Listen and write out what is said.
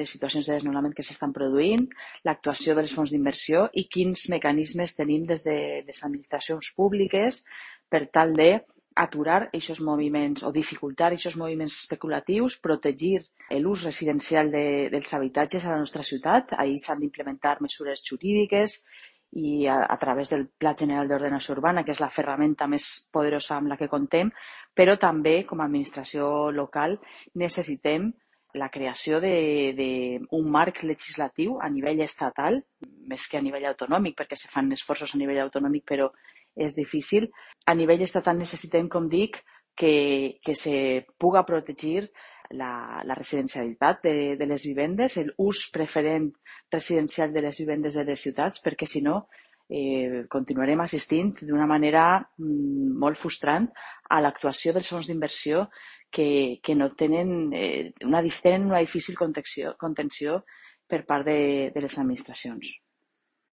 de situacions de desnonament que s'estan produint, l'actuació dels fons d'inversió i quins mecanismes tenim des de les administracions públiques per tal d'aturar aquests moviments o dificultar aquests moviments especulatius, protegir l'ús residencial dels habitatges a la nostra ciutat. Ahir s'han d'implementar mesures jurídiques i a través del Pla General d'Ordenació Urbana, que és la ferramenta més poderosa amb la que contem, però també, com a administració local, necessitem la creació d'un marc legislatiu a nivell estatal, més que a nivell autonòmic, perquè se fan esforços a nivell autonòmic, però és difícil. A nivell estatal necessitem, com dic, que se puga protegir la residencialitat de les vivendes, l'ús preferent residencial de les vivendes de les ciutats, perquè si no continuarem assistint d'una manera molt frustrant a l'actuació dels fons d'inversió que no tenen una difícil contenció per part de les administracions.